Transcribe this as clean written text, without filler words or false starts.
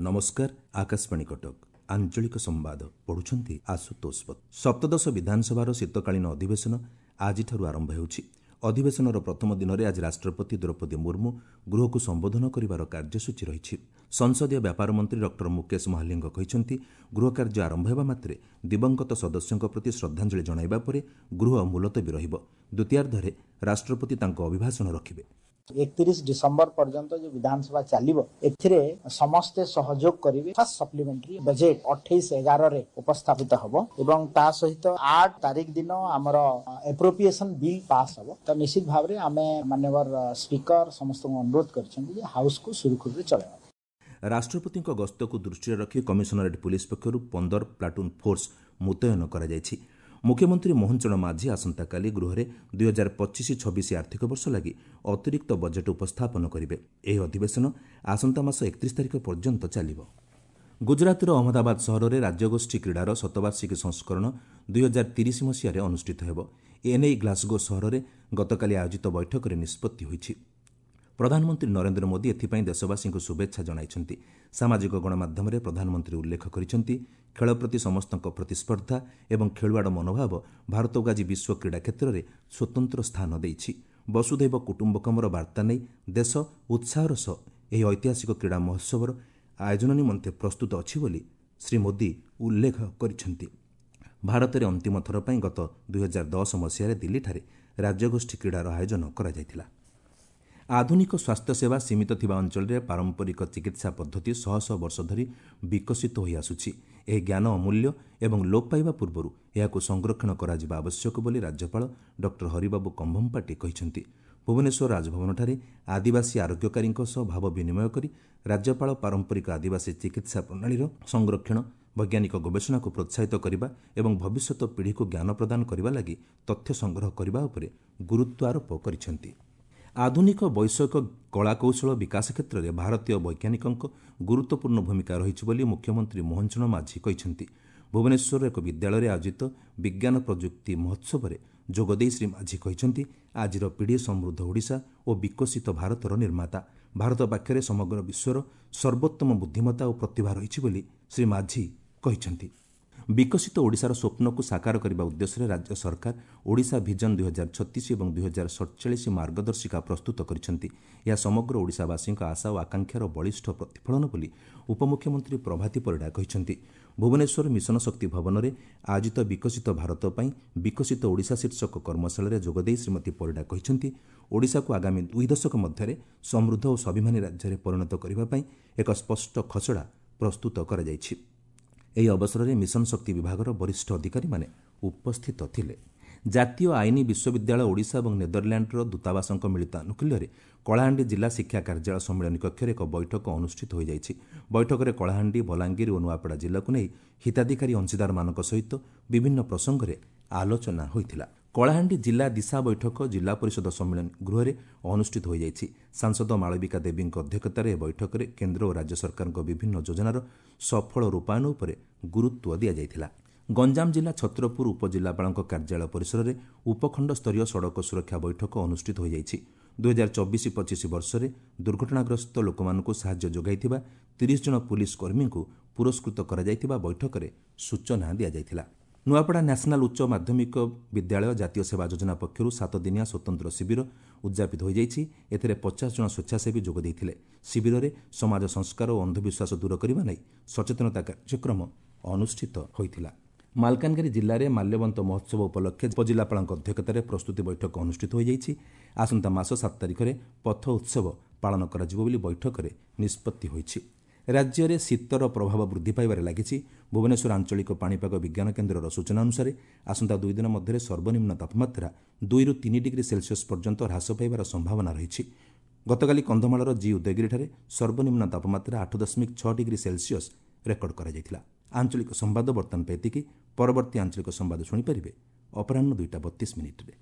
ନମସ୍କାର, ଆକାଶବାଣୀ କଟକ, ଆଞ୍ଚଳିକ ସମ୍ବାଦ ପଢୁଛନ୍ତି ଆଶୁତୋଷ। ସପ୍ତଦଶ ବିଧାନସଭାର ଶୀତକାଳୀନ ଅଧିବେଶନ ଆଜିଠାରୁ ଆରମ୍ଭ ହେଉଛି। ଅଧିବେଶନର ପ୍ରଥମ ଦିନରେ ଆଜି ରାଷ୍ଟ୍ରପତି ଦ୍ରୌପଦୀ ମୁର୍ମୁ ଗୃହକୁ ସମ୍ବୋଧନ କରିବାର କାର୍ଯ୍ୟସୂଚୀ ରହିଛି। ସଂସଦୀୟ ବ୍ୟାପାର ମନ୍ତ୍ରୀ ଡକ୍ଟର ମୁକେଶ ମହାଲିଙ୍ଗ କହିଛନ୍ତି, ଗୃହ କାର୍ଯ୍ୟ ଆରମ୍ଭ ହେବା ମାତ୍ରେ ଦିବଂଗତ ସଦସ୍ୟଙ୍କ ପ୍ରତି ଶ୍ରଦ୍ଧାଞ୍ଜଳି ଜଣାଇବା ପରେ ଗୃହ ମୁଲତବୀ ରହିବ। ଦ୍ୱିତୀୟାର୍ଦ୍ଧରେ ରାଷ୍ଟ୍ରପତି ତାଙ୍କ ଅଭିଭାଷଣ ରଖିବେ। 31 ଡିସେମ୍ବର ପର୍ଯ୍ୟନ୍ତ ଯେଉଁ ବିଧାନସଭା ଚାଲିବ, ଏଥିରେ ସମସ୍ତେ ସହଯୋଗ କରିବେ। ଫାର୍ଷ୍ଟ ସପ୍ଲିମେଣ୍ଟାରୀ ବଜେଟ୍ 28/11ରେ ଉପସ୍ଥାପିତ ହେବ ଏବଂ ତା ସହିତ 8 ତାରିଖ ଦିନ ଆମର ଆପ୍ରୋପ୍ରିଏସନ ବିଲ୍ ପାସ୍ ହେବ। ତ ନିଶ୍ଚିତ ଭାବରେ ଆମେ ମାନ୍ୟବର ସ୍ପିକର ସମସ୍ତଙ୍କୁ ଅନୁରୋଧ କରିଛନ୍ତି ଯେ ହାଉସକୁ ସୁରୁଖୁରୁରେ ଚଳାଇବା। ରାଷ୍ଟ୍ରପତିଙ୍କ ଗସ୍ତକୁ ଦୃଷ୍ଟିରେ ରଖି କମିଶନରେଟ୍ ପୁଲିସ୍ ପକ୍ଷରୁ 15 ପ୍ଲାଟୁନ୍ ଫୋର୍ସ ମୁତୟନ କରାଯାଇଛି। ମୁଖ୍ୟମନ୍ତ୍ରୀ ମୋହନ ଚରଣ ମାଝୀ ଆସନ୍ତାକାଲି ଗୃହରେ 2025-26 ଆର୍ଥିକ ବର୍ଷ ଲାଗି ଅତିରିକ୍ତ ବଜେଟ୍ ଉପସ୍ଥାପନ କରିବେ। ଏହି ଅଧିବେଶନ ଆସନ୍ତା ମାସ 31 ତାରିଖ ପର୍ଯ୍ୟନ୍ତ ଚାଲିବ। ଗୁଜରାଟର ଅହମ୍ମଦାବାଦ ସହରରେ ରାଜ୍ୟଗୋଷ୍ଠୀ କ୍ରୀଡ଼ାର ଶତବାର୍ଷିକୀ ସଂସ୍କରଣ 2030 ମସିହାରେ ଅନୁଷ୍ଠିତ ହେବ। ଏନେଇ ଗ୍ଲାସଗୋ ସହରରେ ଗତକାଲି ଆୟୋଜିତ ବୈଠକରେ ନିଷ୍ପତ୍ତି ହୋଇଛି। ପ୍ରଧାନମନ୍ତ୍ରୀ ନରେନ୍ଦ୍ର ମୋଦି ଏଥିପାଇଁ ଦେଶବାସୀଙ୍କୁ ଶୁଭେଚ୍ଛା ଜଣାଇଛନ୍ତି। ସାମାଜିକ ଗଣମାଧ୍ୟମରେ ପ୍ରଧାନମନ୍ତ୍ରୀ ଉଲ୍ଲେଖ କରିଛନ୍ତି, ଖେଳ ପ୍ରତି ସମସ୍ତଙ୍କ ପ୍ରତିସ୍ପର୍ଦ୍ଧା ଏବଂ ଖେଳୁଆଡ଼ ମନୋଭାବ ଭାରତକୁ ଆଜି ବିଶ୍ୱ କ୍ରୀଡ଼ା କ୍ଷେତ୍ରରେ ସ୍ୱତନ୍ତ୍ର ସ୍ଥାନ ଦେଇଛି। ବସୁଧୈବ କୁଟୁମ୍ବକମର ବାର୍ତ୍ତା ନେଇ ଦେଶ ଉତ୍ସାହର ସହ ଏହି ଐତିହାସିକ କ୍ରୀଡ଼ା ମହୋତ୍ସବର ଆୟୋଜନ ନିମନ୍ତେ ପ୍ରସ୍ତୁତ ଅଛି ବୋଲି ଶ୍ରୀ ମୋଦି ଉଲ୍ଲେଖ କରିଛନ୍ତି। ଭାରତରେ ଅନ୍ତିମ ଥର ପାଇଁ ଗତ 2010 ମସିହାରେ ଦିଲ୍ଲୀଠାରେ ରାଜ୍ୟଗୋଷ୍ଠୀ କ୍ରୀଡ଼ାର ଆୟୋଜନ କରାଯାଇଥିଲା। ଆଧୁନିକ ସ୍ୱାସ୍ଥ୍ୟସେବା ସୀମିତ ଥିବା ଅଞ୍ଚଳରେ ପାରମ୍ପରିକ ଚିକିତ୍ସା ପଦ୍ଧତି ଶହ ଶହ ବର୍ଷ ଧରି ବିକଶିତ ହୋଇଆସୁଛି। ଏହି ଜ୍ଞାନ ଅମୂଲ୍ୟ ଏବଂ ଲୋପ ପାଇବା ପୂର୍ବରୁ ଏହାକୁ ସଂରକ୍ଷଣ କରାଯିବା ଆବଶ୍ୟକ ବୋଲି ରାଜ୍ୟପାଳ ଡକ୍ଟର ହରିବାବୁ କମ୍ଭମପାଟି କହିଛନ୍ତି। ଭୁବନେଶ୍ୱର ରାଜଭବନଠାରେ ଆଦିବାସୀ ଆରୋଗ୍ୟକାରୀଙ୍କ ସହ ଭାବ ବିନିମୟ କରି ରାଜ୍ୟପାଳ ପାରମ୍ପରିକ ଆଦିବାସୀ ଚିକିତ୍ସା ପ୍ରଣାଳୀର ସଂରକ୍ଷଣ, ବୈଜ୍ଞାନିକ ଗବେଷଣାକୁ ପ୍ରୋତ୍ସାହିତ କରିବା ଏବଂ ଭବିଷ୍ୟତ ପିଢ଼ିକୁ ଜ୍ଞାନ ପ୍ରଦାନ କରିବା ଲାଗି ତଥ୍ୟ ସଂଗ୍ରହ କରିବା ଉପରେ ଗୁରୁତ୍ୱ ଆରୋପ କରିଛନ୍ତି। ଆଧୁନିକ ବୈଷୟିକ କଳାକୌଶଳ ବିକାଶ କ୍ଷେତ୍ରରେ ଭାରତୀୟ ବୈଜ୍ଞାନିକଙ୍କ ଗୁରୁତ୍ୱପୂର୍ଣ୍ଣ ଭୂମିକା ରହିଛି ବୋଲି ମୁଖ୍ୟମନ୍ତ୍ରୀ ମୋହନ ଚରଣ ମାଝୀ କହିଛନ୍ତି। ଭୁବନେଶ୍ୱରର ଏକ ବିଦ୍ୟାଳୟରେ ଆୟୋଜିତ ବିଜ୍ଞାନ ପ୍ରଯୁକ୍ତି ମହୋତ୍ସବରେ ଯୋଗଦେଇ ଶ୍ରୀ ମାଝୀ କହିଛନ୍ତି, ଆଜିର ପିଢ଼ି ସମୃଦ୍ଧ ଓଡ଼ିଶା ଓ ବିକଶିତ ଭାରତର ନିର୍ମାତା। ଭାରତ ପାଖରେ ସମଗ୍ର ବିଶ୍ୱର ସର୍ବୋତ୍ତମ ବୁଦ୍ଧିମତ୍ତା ଓ ପ୍ରତିଭା ରହିଛି ବୋଲି ଶ୍ରୀ ମାଝୀ କହିଛନ୍ତି। ବିକଶିତ ଓଡ଼ିଶାର ସ୍ୱପ୍ନକୁ ସାକାର କରିବା ଉଦ୍ଦେଶ୍ୟରେ ରାଜ୍ୟ ସରକାର ଓଡ଼ିଶା ଭିଜନ 2036 ଏବଂ 2047 ମାର୍ଗଦର୍ଶିକା ପ୍ରସ୍ତୁତ କରିଛନ୍ତି। ଏହା ସମଗ୍ର ଓଡ଼ିଶାବାସୀଙ୍କ ଆଶା ଓ ଆକାଂକ୍ଷାର ବଳିଷ୍ଠ ପ୍ରତିଫଳନ ବୋଲି ଉପମୁଖ୍ୟମନ୍ତ୍ରୀ ପ୍ରଭାତୀ ପରିଡ଼ା କହିଛନ୍ତି। ଭୁବନେଶ୍ୱର ମିଶନ ଶକ୍ତି ଭବନରେ ଆୟୋଜିତ ବିକଶିତ ଭାରତ ପାଇଁ ବିକଶିତ ଓଡ଼ିଶା ଶୀର୍ଷକ କର୍ମଶାଳାରେ ଯୋଗଦେଇ ଶ୍ରୀମତୀ ପରିଡ଼ା କହିଛନ୍ତି, ଓଡ଼ିଶାକୁ ଆଗାମୀ 2 ଦଶକ ମଧ୍ୟରେ ସମୃଦ୍ଧ ଓ ସ୍ୱାଭିମାନୀ ରାଜ୍ୟରେ ପରିଣତ କରିବା ପାଇଁ ଏକ ସ୍ପଷ୍ଟ ଖସଡ଼ା ପ୍ରସ୍ତୁତ କରାଯାଇଛି। ଏହି ଅବସରରେ ମିଶନ ଶକ୍ତି ବିଭାଗର ବରିଷ୍ଠ ଅଧିକାରୀମାନେ ଉପସ୍ଥିତ ଥିଲେ। ଜାତୀୟ ଆଇନ ବିଶ୍ୱବିଦ୍ୟାଳୟ ଓଡ଼ିଶା ଏବଂ ନେଦରଲ୍ୟାଣ୍ଡର ଦୂତାବାସଙ୍କ ମିଳିତ ଆନୁକୂଲ୍ୟରେ କଳାହାଣ୍ଡି ଜିଲ୍ଲା ଶିକ୍ଷା କାର୍ଯ୍ୟାଳୟ ସମ୍ମିଳନୀ କକ୍ଷରେ ଏକ ବୈଠକ ଅନୁଷ୍ଠିତ ହୋଇଯାଇଛି। ବୈଠକରେ କଳାହାଣ୍ଡି, ବଲାଙ୍ଗୀର ଓ ନୂଆପଡ଼ା ଜିଲ୍ଲାକୁ ନେଇ ହିତାଧିକାରୀ ଅଂଶୀଦାରମାନଙ୍କ ସହିତ ବିଭିନ୍ନ ପ୍ରସଙ୍ଗରେ ଆଲୋଚନା ହୋଇଥିଲା। କଳାହାଣ୍ଡି ଜିଲ୍ଲା ଦିଶା ବୈଠକ ଜିଲ୍ଲା ପରିଷଦ ସମ୍ମିଳନୀ ଗୃହରେ ଅନୁଷ୍ଠିତ ହୋଇଯାଇଛି। ସାଂସଦ ମାଳବିକା ଦେବୀଙ୍କ ଅଧ୍ୟକ୍ଷତାରେ ଏହି ବୈଠକରେ କେନ୍ଦ୍ର ଓ ରାଜ୍ୟ ସରକାରଙ୍କ ବିଭିନ୍ନ ଯୋଜନାର ସଫଳ ରୂପାୟନ ଉପରେ ଗୁରୁତ୍ୱ ଦିଆଯାଇଥିଲା। ଗଞ୍ଜାମ ଜିଲ୍ଲା ଛତ୍ରପୁର ଉପଜିଲ୍ଲାପାଳଙ୍କ କାର୍ଯ୍ୟାଳୟ ପରିସରରେ ଉପଖଣ୍ଡ ସ୍ତରୀୟ ସଡ଼କ ସୁରକ୍ଷା ବୈଠକ ଅନୁଷ୍ଠିତ ହୋଇଯାଇଛି। 2024-25 ବର୍ଷରେ ଦୁର୍ଘଟଣାଗ୍ରସ୍ତ ଲୋକମାନଙ୍କୁ ସାହାଯ୍ୟ ଯୋଗାଇଥିବା 30 ଜଣ ପୁଲିସ୍ କର୍ମୀଙ୍କୁ ପୁରସ୍କୃତ କରାଯାଇଥିବା ବୈଠକରେ ସୂଚନା ଦିଆଯାଇଥିଲା। ନୂଆପଡ଼ା ନ୍ୟାସନାଲ୍ ଉଚ୍ଚ ମାଧ୍ୟମିକ ବିଦ୍ୟାଳୟ ଜାତୀୟ ସେବା ଯୋଜନା ପକ୍ଷରୁ 7 ଦିନିଆ ସ୍ୱତନ୍ତ୍ର ଶିବିର ଉଦ୍ଯାପିତ ହୋଇଯାଇଛି। ଏଥିରେ 50 ଜଣ ସ୍ୱେଚ୍ଛାସେବୀ ଯୋଗ ଦେଇଥିଲେ। ଶିବିରରେ ସମାଜ ସଂସ୍କାର ଓ ଅନ୍ଧବିଶ୍ୱାସ ଦୂର କରିବା ନେଇ ସଚେତନତା କାର୍ଯ୍ୟକ୍ରମ ଅନୁଷ୍ଠିତ ହୋଇଥିଲା। ମାଲକାନଗିରି ଜିଲ୍ଲାରେ ମାଲ୍ୟବନ୍ତ ମହୋତ୍ସବ ଉପଲକ୍ଷେ ଉପଜିଲ୍ଲାପାଳଙ୍କ ଅଧ୍ୟକ୍ଷତାରେ ପ୍ରସ୍ତୁତି ବୈଠକ ଅନୁଷ୍ଠିତ ହୋଇଯାଇଛି। ଆସନ୍ତା ମାସ 7 ତାରିଖରେ ପଥ ଉତ୍ସବ ପାଳନ କରାଯିବ ବୋଲି ବୈଠକରେ ନିଷ୍ପତ୍ତି ହୋଇଛି। ରାଜ୍ୟରେ ଶୀତର ପ୍ରଭାବ ବୃଦ୍ଧି ପାଇବାରେ ଲାଗିଛି। ଭୁବନେଶ୍ୱର ଆଞ୍ଚଳିକ ପାଣିପାଗ ବିଜ୍ଞାନ କେନ୍ଦ୍ରର ସୂଚନା ଅନୁସାରେ ଆସନ୍ତା 2 ଦିନ ମଧ୍ୟରେ ସର୍ବନିମ୍ନ ତାପମାତ୍ରା 2ରୁ 3 ଡିଗ୍ରୀ ସେଲସିୟସ୍ ପର୍ଯ୍ୟନ୍ତ ହ୍ରାସ ପାଇବାର ସମ୍ଭାବନା ରହିଛି। ଗତକାଲି କନ୍ଧମାଳର ଜି ଉଦୟଗିରିଠାରେ ସର୍ବନିମ୍ନ ତାପମାତ୍ରା 8.6 ଡିଗ୍ରୀ ସେଲସିୟସ୍ ରେକର୍ଡ କରାଯାଇଥିଲା। ଆଞ୍ଚଳିକ ସମ୍ବାଦ ବର୍ତ୍ତମାନ ପାଇଁ ଏତିକି। ପରବର୍ତ୍ତୀ ଆଞ୍ଚଳିକ ସମ୍ବାଦ ଶୁଣିପାରିବେ ଅପରାହ୍ନ 2ଟା 32 ମିନିଟ୍ରେ।